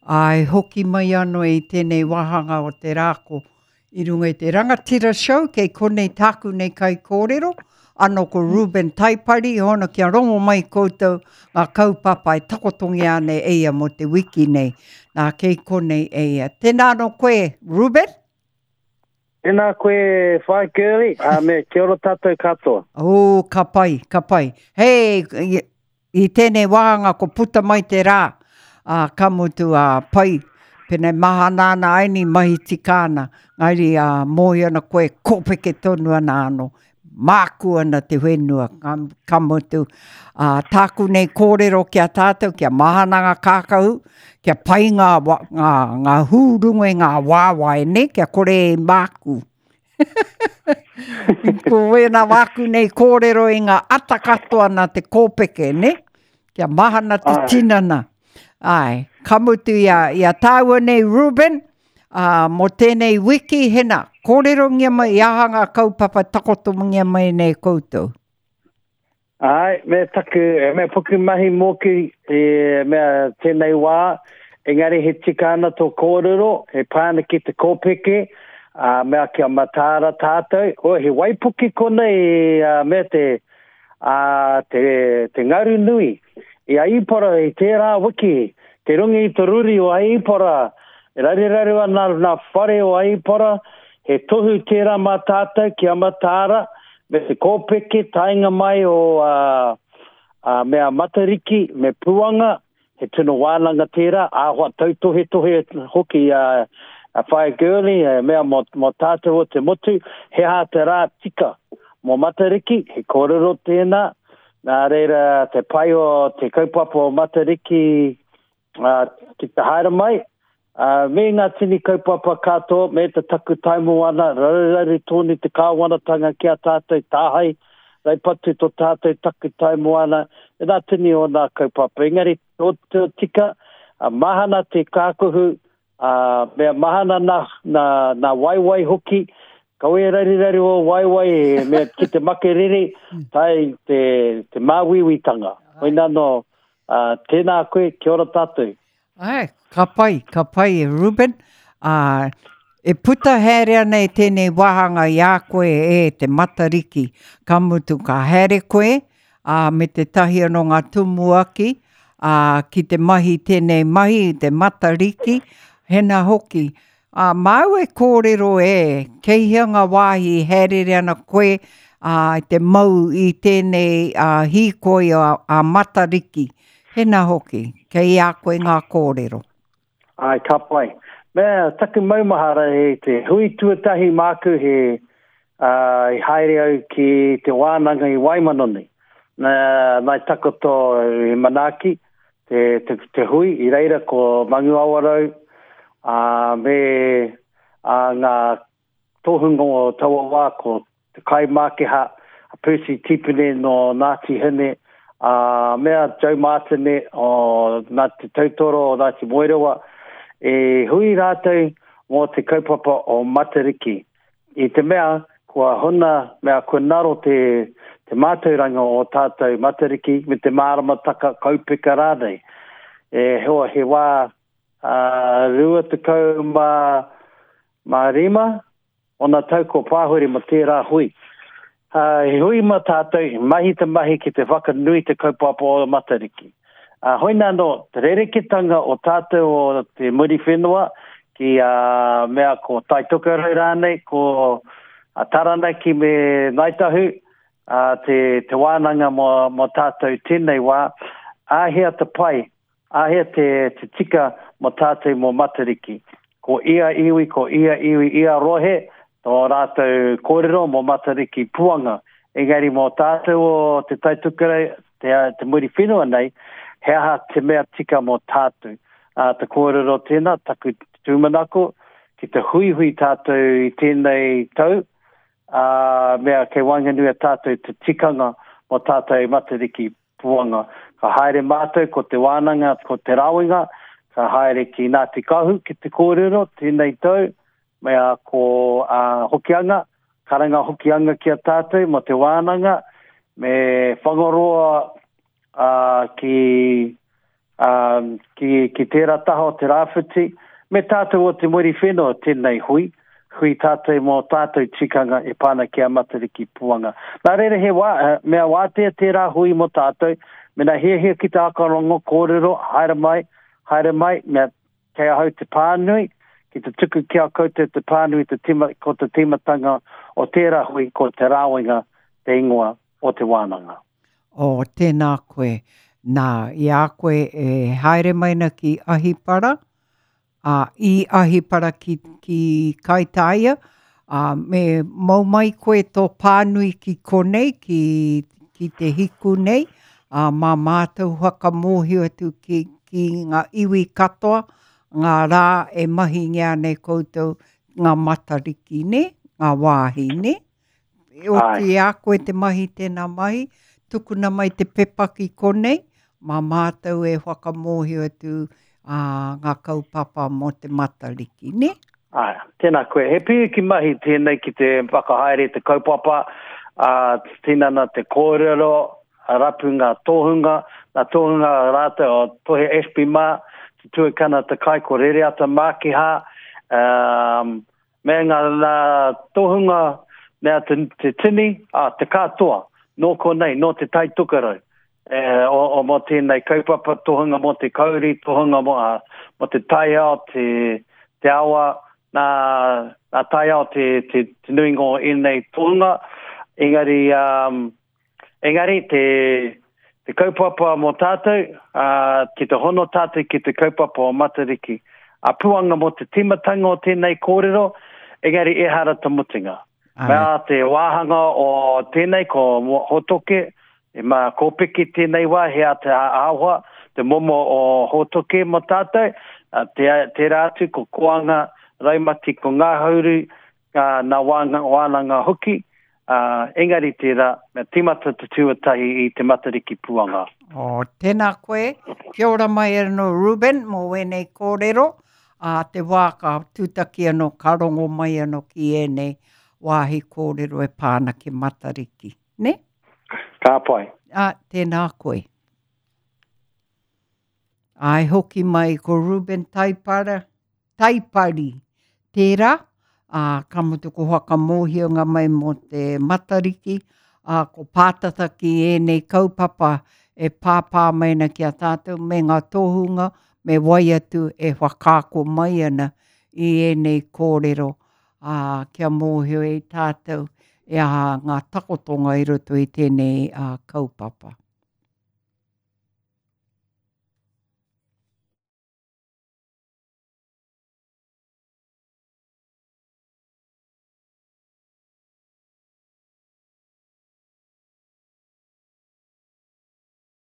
Āe, hoki mai anō i tēnei wāhanga o te rā ko i runga i te Rangatira Show, kei konei tāku nei kaikōrero, anō ko Reuben Taipari, hono kia rongo mai koutou ngā kaupapa e takotongia ana e ia mō te wiki nei. Nā, kei konei e ia. Tēnā anō koe, Reuben? Tēnā koe, Whaea Girlie, ā, me kia ora tātou katoa. Ō, ka pai, ka pai. Hei, I tēnei wāhanga ko puta mai te rā, ā, ka mutu, ā, pai, pēnei mahana ana aini, mahi tika ana, ngairi, ā, mōhio ana koe, kōpeke tonu ana anō, māku ana te whenua, ka, ka mutu, ā, tāku nei kōrero ki a tātou, kia mahana ngā kākahu, kia pai ngā, ngā, ngā hū runga i ngā waewae, nē, kia kore e māku. Ko wēnā wāku nei kōrero i ngā ata katoa nā te kōpeke, ne? Kia mahana te tinana. Ai, ka mutu i a, i a tāua nei Ruben, ā, mō tēnei wiki, hena, kōrerongia mai i aha ngā kaupapa takotongia mai nei koutou. Āe, me taku, me puku mahi mōku i mea tēnei wā, engari he tika ana tō kōrero, he pā ana ki te kōpeke, ā, mea kia mataara tātou, oh, he waipuke konei, ā, mea te, ā, te, te ngaru nui i a Ipora i tērā wiki, te runga i te ruri o Ipora, e raruraru ana nā whare o Ipora, he tohu tērā mā tātou kia mataara, Me te kōpeke taenga mai o a mea Matariki me Puanga, he tino wānanga tērā, āhua tautohetohe hoki a Whaea Gurley, he mea mō, mō tātou o te motu, he aha te rā tika mō Matariki, he kōrero tēnā, nā reira te pai o te kaupapa o Matariki ki te haere mai, ā, me ngā tini kaupapa katoa, me te taku taimoana, raruraru tonu te kāwanatanga ki a tātou, tāhae, raupatu tō tātou taku taimoana, me ngā tini o nā kaupapa. Engari, tō te tika, mahana te kākohu, ā, mea mahana nā, nā, nā waewae hoki, kaua e raruraru ō waewae, mea ki te makerere, tae te, te māuiuitanga. Koinā nō, Ā, tēnā koe, kia ora tātou. Āe, ka pai, ka pai e Reuben. Ā, e puta haere ana i tēnei wāhanga i a koe e te Matariki, ka mutu ka haere koe, ā, me tētahi anō ngā tumuaki, ā, ki te mahi tēnei mahi, te Matariki, hena hoki, Ā, māu e kōrero e, kei hea ngā wāhi e hāereere ana koe, ā, i te mau i tēnei ā, hīkoi ā, ā Matariki. Hena hoki, kei a koe ngā kōrero. Āe, ka pai. Mea, taku maumahara he te hui tuatahi māku he, ā, i haere au ki te wānanga i Waimanoni. Nā, nā i takoto i manaaki, te, te, te hui, i reira ko Manguawarau, ā, me ā, ngā tohunga o taua wā ko te kaimākeha a Percy Tipene nō Ngāti Hine, ā, me a Joe Martine o Ngāti Tautoro o Ngāti Moerewa, i hui rātou mō te kaupapa o Matariki. I te mea, kua huna, mea kua ngaro te, te mātauranga o tātou Matariki me te māramataka kaupeka rānei. E hoa, he wā ā, 25 ōna tau kua pāhore mō tērā hui. Ā, he hui mā tātou, he mahi te mahi ki te whakanui te kaupapa o Matariki. Ā, hoina anō, te rereketanga o tātou o te Muriwhenua ki a mea ko Tai Tokerau rānei, ko Taranaki me Ngāi Tahu, ā, te, te wānanga mō, mō tātou tēnei wā, āhea te pai Āhea te, te tika mō tātou mō Matariki? Ko ia iwi, ko ia iwi, ia rohe, tō rātou kōrero mō Matariki puanga. Engari mō tātou o Te Tai Tokerau, te, te Muriwhenua nei, he aha te mea tika mō tātou? Ā, te kōrero tēnā, taku tūmanako, ki te huihui tātou i tēnei tau, ā, mea kei waenganui a tātou te tikanga mō tātou Matariki Puanga. Ka haere mātou ko Te Wānanga, ko Te Rawenga, ka haere ki Ngāti Kahu ki te kōrero tēnei tau, mea ko a Hokianga, karanga Hokianga ki a tātou mō Te Wānanga, me Whangaroa a, ki a, ki, ki tērā taha o te rāwhiti, me tātou o te Muriwhenua tēnei hui, hui tātou mō tātou tikanga e pā ana ki a Matariki Puanga. Nā reira he wā, mea wātea tērā hui mō tātou, mena hiahia ki te whakarongo kōrero, haere mai, haere mai, mea kei ahau te pānui, ki te tuku ki a koutou te pānui te tima, ko te tīmatanga o tērā hui ko Te Rāwenga te ingoa o te wānanga. Oh, tēnā koe. Nā, i a koe e haere mai na ki Ahipara, ā, i Ahipara ki, ki Kaitāia, ā, me mau mai koe tō pānui ki konei, ki, ki te hiku nei, ā, mā mātou whakamōhio atu ki, ki ngā iwi katoa, ngā rā e mahingia nei koutou, ngā Matariki, nē, ngā wāhi, nē? E oti i a koe te mahi tēnā mahi, tukuna mai te pepa ki konei, mā mātou e whakamōhio atu ā, ngā kaupapa mō te Matariki, nē? Āe, tēnā koe. He pīki mahi tēnei ki te whakahaere te kaupapa, ā, tinana te kōrero, rapu ngā tohunga, ngā tohunga rātou o Tohe Ashby mā, te tuakana te kai ko Rereata Mākihā, ā, Me ngā tohunga mea te, te tini, a, te katoa, nō konei, nō Te Tai Tokerau, e, o, o mō tēnei kaupapa, tohunga mō te kauri, tohunga mō, a, mō te taiao, te, te awa, nā, nā taiao te, te, te nuinga o ēnei tohunga, engari, um, Engari te, te kaupapa mō tātou, ā, ki te hono tātou ki te kaupapa o Matariki. A puanga mō te tīmatanga o tēnei kōrero, engari ehara te mutunga. Mea te wāhanga o tēnei ko Hōtoke, e mā kōpeke tēnei wā, he a te āhua, te momo o Hōtoke mō tātou, te, tērā atu ko Koanga, Raumati ko Ngāhauru, ā, nā wānanga hoki, ā, engari tērā, mea tīmata te tuatahi i te Matariki puanga. Oh, tēnā koe. Kia ora mai anō Reuben mō wēnei kōrero. Ā te wā ka tūtaki anō, ka rongo mai anō ki ēnei wāhi kōrero e pā ana ki Matariki. Nē? Ka pai. Ā, tēnā koe. Āe hoki mai ko Reuben Taipara, Taipari tērā, ā, ka mutu ko whakamōhionga mai mō te Matariki, ā, ko pātata ki ēnei kaupapa e pāpā mai ana ki a tātou me ngā tohunga me wai atu e whakaako mai ana i ēnei kōrero, ā, kia mōhio e tātou e aha ngā takotonga i roto i tēnei kaupapa.